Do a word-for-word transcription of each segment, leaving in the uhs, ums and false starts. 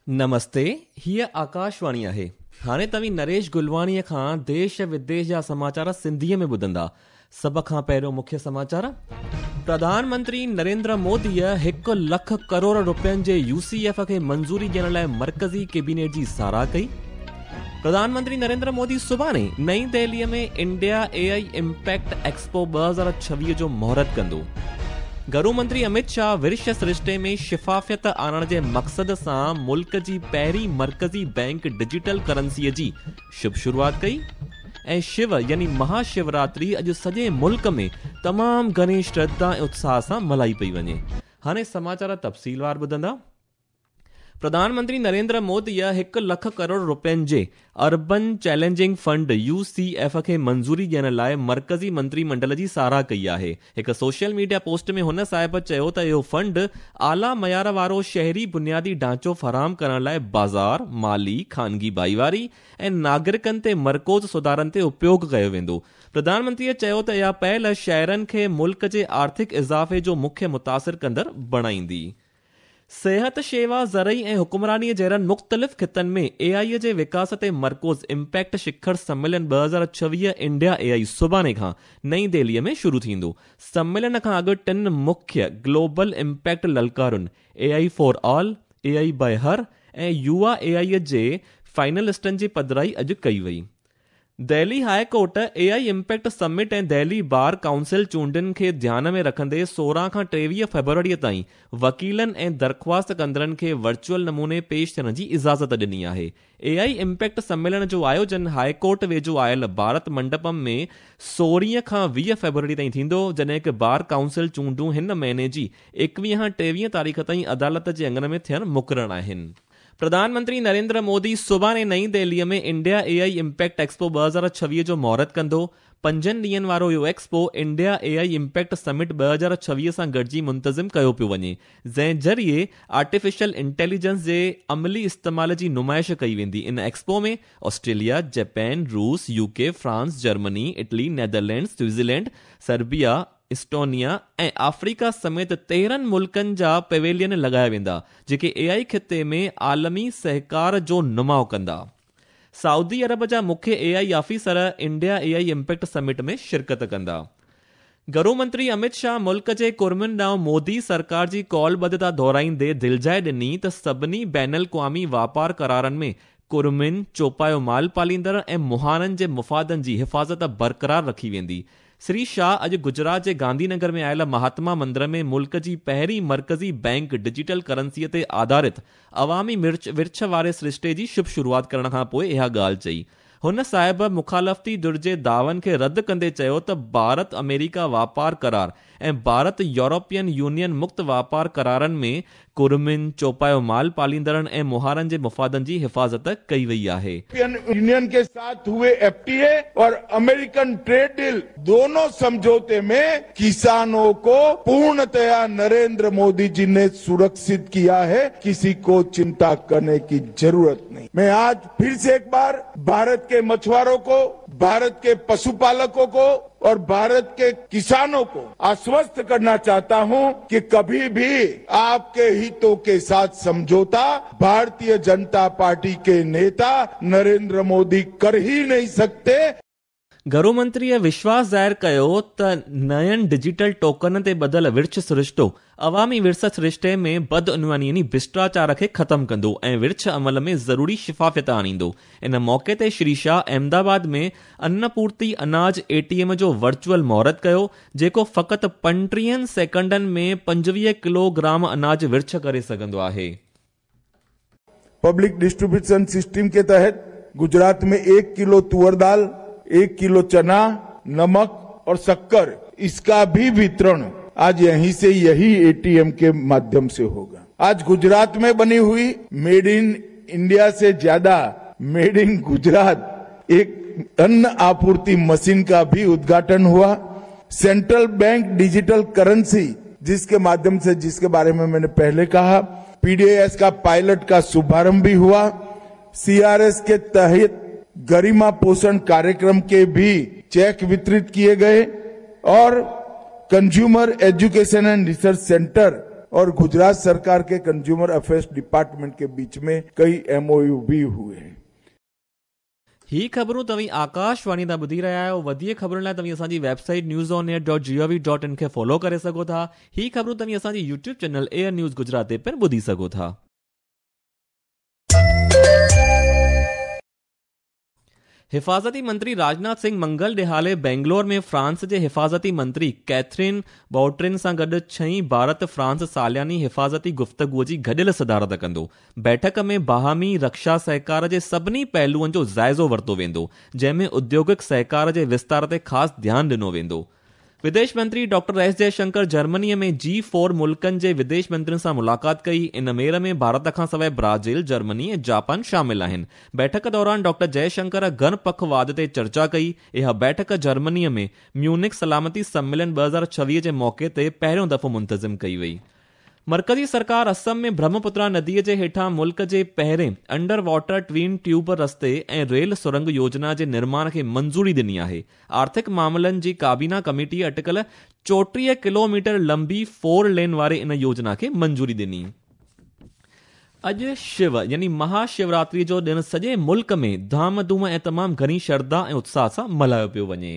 نمستي، هيءَ آڪاشواڻي آهي. هاڻي توهين نريش گلواڻيءَ کان ديش وديش جا سماچار سنڌيءَ ۾ ٻڌندا. سڀ کان پهريون مکيه سماچار. پرڌان منتري نريندر موديءَ هڪ لک ڪروڙ رپين جي يو سي ايف کي منظوري ڏيڻ لاءِ مرڪزي ڪيبينيٽ جي ساراهه ڪئي. پرڌان منتري نريندر مودي سڀاڻي نئين دهليءَ ۾ India A I impact expo ٻه هزار ڇويهه جو مهورت ڪندو. گهرو منتري امت شاهه ورڇ سرشتي ۾ شفافيت آڻڻ جي مقصد سان ملڪ جي پهرين مرڪزي بينڪ ڊجيٽل ڪرنسيءَ جي شڀ شروعات ڪئي. ۽ شو يعني مهاشوراتري اڄ سڄي ملڪ ۾ تمام گهڻي شرڌا ۽ اتساهه سان ملهائي پئي وڃي. هاڻي سماچار تفصيلوار ٻڌندا. پرڌان منتري نريندر موديءَ هڪ لک ڪروڙ رپين جي urban challenging fund U C F کي منظوري ڏيڻ لاءِ مرڪزي منتري منڊل جي ساراهه ڪئي آهي. هڪ سوشل ميڊيا پوسٽ ۾ هن صاحب چيو ته اهو فنڊ اعليٰ معيار وارو شهري بنيادي ڍانچو فراهم ڪرڻ لاءِ بازار، مالي، خانگي ڀائيواري ۽ ناگرڪن تي مرڪوز سڌارن تي اپيوگ ڪيو ويندو. پرڌان منتريءَ چيو ته اها پهل شهرن کي ملڪ جي آرٿڪ اضافي جو مکيه متاثر ڪندڙ بڻائيندي. صحت، شيوا، زرعي ۽ حڪمرانيءَ جهڙن مختلف خطن ۾ اي آئي جي وڪاس تي مرڪوز امپيڪٽ شکر سميلن ٻه هزار ڇويهه انڊيا اي آئي سڀاڻي کان نئين دهليءَ ۾ شروع ٿيندو. سميلن کان اڳ ٽن مکيه گلوبل امپيڪٽ للڪارن A I for all, A I by her ۽ يووا اي آئي جي فائنلسٽن جي پڌرائي اڄ ڪئي وئي. Delhi high court A I impact summit ۽ Delhi bar council چونڊن کي ڌيان ۾ رکندي سورهن کان ٽيويهه فيبروريءَ تائين وڪيلن ۽ درخواست ڪندڙن کي ورچوئل نموني پيش ٿيڻ جي اجازت ڏني آهي. اي آئي امپيڪٽ سميلن جو آيوجن هاءِ ڪورٽ ويجهو آيل ڀارت منڊپم ۾ سورهن کان ويهه فيبروري تائين ٿيندو، جڏهن ڪه بار ڪائونسل چونڊون هن مهيني جي ايڪويهه کان ٽيويهه تاريخ تائين عدالت جي اڱڻ ۾ ٿيڻ مقرر آهن. پرڌان منتري نريندر مودي سڀاڻي نئين دهليءَ ۾ India A I impact expo ٻه هزار ڇويهه جو مهورت ڪندو. پنجن ڏينهن وارو اهو expo India A I impact summit ٻه هزار ڇويهه سان گڏجي منتظم ڪيو پيو وڃي، جنهن ذريعي آرٽيفيشل انٽيليجنس جي عملي استعمال جي نمائش ڪئي ويندي. ان ايڪسپو ۾ آسٽريليا، جاپان، روس، U K, France, Germany, Italy, Netherlands, Switzerland, Serbia, Estonia ۽ Africa سميت تيرهن ملڪن جا پويلين لڳايا ويندا، جيڪي اي آئي خطي ۾ عالمي سهڪار جو نماءُ ڪندا. سعودي عرب جا مکيه A I officer India A I impact summit ۾ شرڪت ڪندا. گهرو منتري امت شاهه ملڪ جي ڪرمين ڏانهن مودي سرڪار جي ڪالبڌتا دهرائيندي دلجاءِ ڏني ته سڀني بين الاقوامي واپار قرارن ۾ ڪرمين، چوپايو مال پاليندڙ ۽ مهاڻن جي مفادن جي حفاظت برقرار رکي ويندي. شري شاهه اڄ گجرات جي گانڌي نگر ۾ آيل مهاتما مندر ۾ ملڪ جي پهرين مرڪزي بينڪ ڊجيٽل ڪرنسيءَ تي آڌارت عوامي ورڇ واري سرشتي جي شڀ شروعات ڪرڻ کان پوءِ اها ڳالهه چئي. هن صاحب مخالفتي ڌر جي دعون کي رد ڪندي چيو ته ڀارت آمريڪا واپار قرار ۽ ڀارت يورپين يونين مڪت واپار قرارن ۾ ڪرمين، چوپايو مال پاليندڙن ۽ مهارن جي مفادن جي حفاظت ڪئي وئي آهي. यूनियन के साथ हुए एफ टी ए और अमेरिकन ट्रेड डील दोनों समझौते में किसानों को पूर्णतया नरेंद्र मोदी जी ने सुरक्षित किया है। किसी को चिंता करने की जरूरत नहीं। मैं आज फिर से एक बार भारत के मछुआरों को, भारत के पशुपालकों को और भारत के किसानों को आश्वस्त करना चाहता हूं कि कभी भी आपके हितों के साथ समझौता भारतीय जनता पार्टी के नेता नरेंद्र मोदी कर ही नहीं सकते। گهرو منتريءَ وشواس ظاهر ڪيو ته نين ڊجيٽل ٽوڪن تي ٻڌل ورڇ سرشتو عوامي ورڇ سرشتي ۾ بدعنواني يعني ڀرشٽاچار کي ختم ڪندو ۽ ورڇ عمل ۾ ضروري شفافيت آڻيندو. ان موقعي تي شري شاهه احمدآباد ۾ انپورتي اناج اي ٽي ايم جو ورچوئل مهورت ڪيو، جيڪو فقط پنٽيهن سيڪنڊن ۾ پنجويهه ڪلوگرام اناج ورڇ ڪري سگهندو آهي. پبلڪ ڊسٽريبيوشن سسٽم ڪي تحت گجرات ۾ एक किलो तुअर दाल, एक किलो चना, नमक और शक्कर, इसका भी वितरण आज यहीं से यही ए टी एम के माध्यम से होगा। आज गुजरात में बनी हुई मेड इन इंडिया से ज्यादा मेड इन गुजरात एक अन्न आपूर्ति मशीन का भी उद्घाटन हुआ। सेंट्रल बैंक डिजिटल करेंसी जिसके माध्यम से, जिसके बारे में मैंने पहले कहा, पी डी एस का पायलट का शुभारंभ भी हुआ। सी आर एस के तहत गरिमा पोषण कार्यक्रम के भी चेक वितरित किए गए और consumer education and research centre और गुजरात सरकार के कंज्यूमर अफेयर्स डिपार्टमेंट के बीच में कई एमओयू भी हुए हैं। ही ख़बरूं तव्हीं आकाशवाणी तां ॿुधी रहिया आहियो। वधीक ख़बरुनि लाइ तव्हीं असांजी website news on air dot G O V dot in खे फॉलो करे सघो था। ही ख़बरूं तव्हीं असांजी YouTube channel air news Gujarat ते पिणु ॿुधी सघो था। हिफाज़ती मंत्री राजनाथ सिंह मंगल ॾिहाड़े बेंगलोर में फ्रांस जे हिफाज़ती मंत्री कैथरीन बाउट्रिन सां गॾु छहीं भारत फ्रांस सालियानी हिफाज़ती गुफ्तगूअ जी गॾियल सदारत कंदो। बैठक में बाहमी रक्षा सहकार जे सभिनी पहलुअनि जो जाइज़ो वरितो वेंदो, जंहिंमें उद्योगिक सहकार जे विस्तार ते ख़ासि ध्यानु ॾिनो वेंदो। विदेश मंत्री डॉक्टर एस जयशंकर जर्मनीअ में जी फोर मुल्कनि जे विदेश मंत्रियुनि सां मुलाक़ात कई। इन मेड़ में भारत खां सवाइ ब्राज़ील, जर्मनी ऐं जापान शामिल आहिनि। बैठक दौरान डॉक्टर जयशंकर गणपखवाद ते चर्चा कई। इहा बैठक जर्मनीअ में म्यूनिक सलामती सम्मेलन ॿ हज़ार छवीह जे मौक़े ते पहिरियों दफ़ो मुंतज़िम कई वई। मरकज़ी सरकार असम में ब्रह्मपुत्रा नदीअ जे हेठां मुल्क जे पहिरें अंडर वाटर ट्विन ट्यूब रस्ते ऐं रेल सुरंग योजना जे निर्माण खे मंज़ूरी ॾिनी आहे। आर्थिक मामलनि जी काबीना कमेटी अटकल चोटीह किलोमीटर लंबी फोर लेन वारे इन योजना खे मंज़ूरी ॾिनी। अॼु शिव यानी महाशिवरात्रि जो ॾिणु सॼे मुल्क में धाम धूम ऐं तमामु घणी श्रद्धा ऐं उत्साह सां मल्हायो पियो वञे।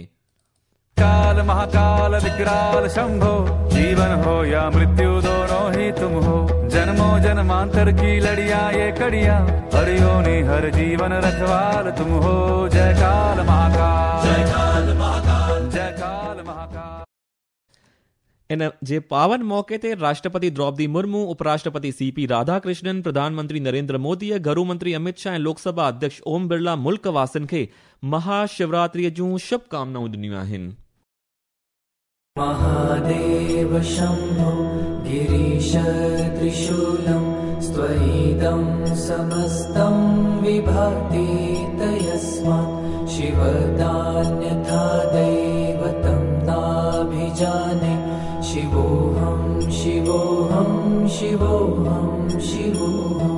काल महाकाल विकराल शंभो, जीवन हो या मृत्यु दोनों ही तुम हो। जन्मों जन्मांतर की लड़िया ये कड़िया, हर योनि हर जीवन रखवाल तुम हो। जय काल महाकाल, जय काल महाकाल, जय काल महाकाल। इन जे पावन मौके ते राष्ट्रपति द्रौपदी मुर्मू, उपराष्ट्रपति सी पी राधाकृष्णन, प्रधानमंत्री नरेंद्र मोदी, घरू मंत्री अमित शाह ऐं लोकसभा अध्यक्ष ओम बिरला मुल्क वासियुनि खे महाशिवरात्रीअ जूं शुभकामनाऊं ॾिनियूं आहिनि। महादेव शंभो गिरीश त्रिशूलं स्त्वयिदं समस्तं विभाति तयस्मात् शिवदान्यथा दैवतं नाभिजाने शिवोऽहं शिवोऽहं शिवोऽहं शिवोऽहम्।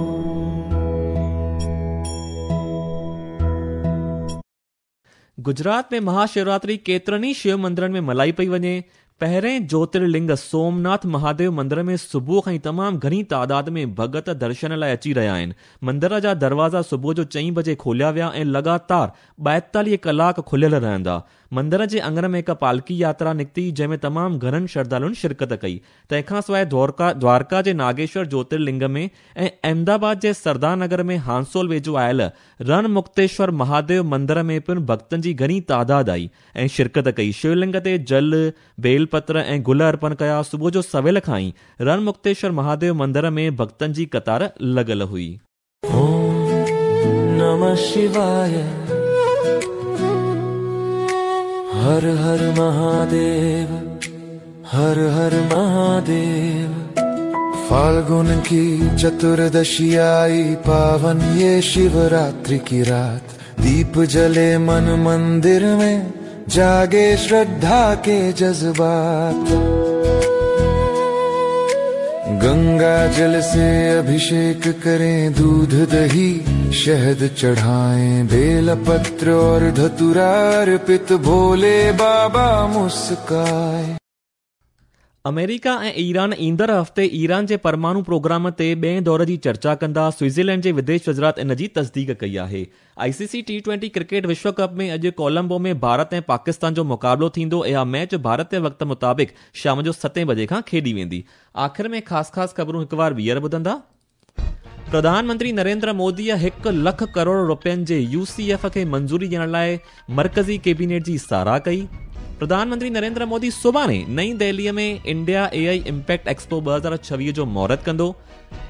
गुजरात में महाशिवरात्रि केतिरनि ई शिव मंदिरनि में मल्हाई पई वञे। पहिरें ज्योतिर्लिंग सोमनाथ महादेव मंदिर में सुबुह खां ई तमामु घणी तादाद में भगत दर्शन लाइ अची रहिया आहिनि। मंदिर जा दरवाज़ा सुबुह जो चईं बजे खोलिया विया ऐं लगातार ॿाएतालीह कलाक खुलियल रहंदा। मंदिर जे आङण में हिकु पालकी यात्रा निकिती, जंहिंमें तमामु घणनि श्रद्धालुनि शिरकत कई। तंहिंखां सवाइ द्वारका द्वारका जे नागेश्वर ज्योतिर्लिंग में ऐं अहमदाबाद जे सरदार नगर में हांसोल वेझो आयल रणमुक्तेश्वर महादेव मंदिर में पिणु भक्तनि जी घणी तादाद आई ऐं शिरकत कई। शिवलिंग ते जल, बेलपत्र ऐं गुल अर्पण कया। सुबुह जो सवेल खां ई रणमुक्तेश्वर महादेव मंदिर में भक्तनि जी कतार लॻल हुई। ओम नमः शिवाय, हर हर महादेव, हर हर महादेव। फाल्गुन की चतुर्दशी आई, पावन ये शिवरात्रि की रात। दीप जले मन मंदिर में, जागे श्रद्धा के जज्बात। गंगा जल से अभिषेक करें, दूध दही शहद चढ़ाएं, बेलपत्र और धतूरा अर्पित भोले बाबा मुस्काए। अमेरिका ऐं ईरान ईंदड़ हफ़्ते ईरान जे परमाणु प्रोग्राम ते ॿिए दौर जी चर्चा कंदा। स्विट्ज़रलैंड जे विदेश वज़ारत इन जी तस्दीक कई आहे। I C C T twenty cricket विश्व कप में अॼु कोलंबो में भारत ऐं पाकिस्तान जो मुक़ाबिलो थींदो। इहा मैच भारतीय वक़्त मुताबिक़ शाम जो सतें बजे खां खेॾी वेंदी। आख़िर में ख़ासि ख़ासि ख़बरूं हिकु बार ॿीहर ॿुधंदा। प्रधानमंत्री नरेंद्र मोदीअ हिकु लख करोड़ रुपयनि जे you C F खे मंज़ूरी ॾियण लाइ मरकज़ी कैबिनेट जी सराह कई। प्रधानमंत्री नरेंद्र मोदी सुभाणे नई दिल्लीअ में India A I impact expo ॿ हज़ार छवीह जो मुहूर्त कंदो।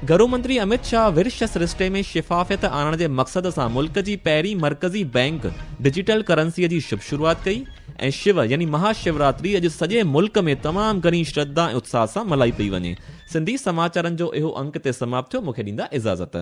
घरू मंत्री अमित शाह विर्श सरिश्ते में शफ़ाफ़ियत आणण जे मक़सद सां मुल्क जी पहिरीं मरकज़ी बैंक डिजिटल करेंसीअ जी शुभ शुरुआत कई। ऐं शिव यानी महाशिवरात्रि अॼु सॼे मुल्क में तमामु घणी श्रद्धा ऐं उत्साह सां मल्हाई पई वञे। सिंधी समाचारनि जो इहो अंक ते समाप्त थियो। मूंखे ॾींदा इजाज़त।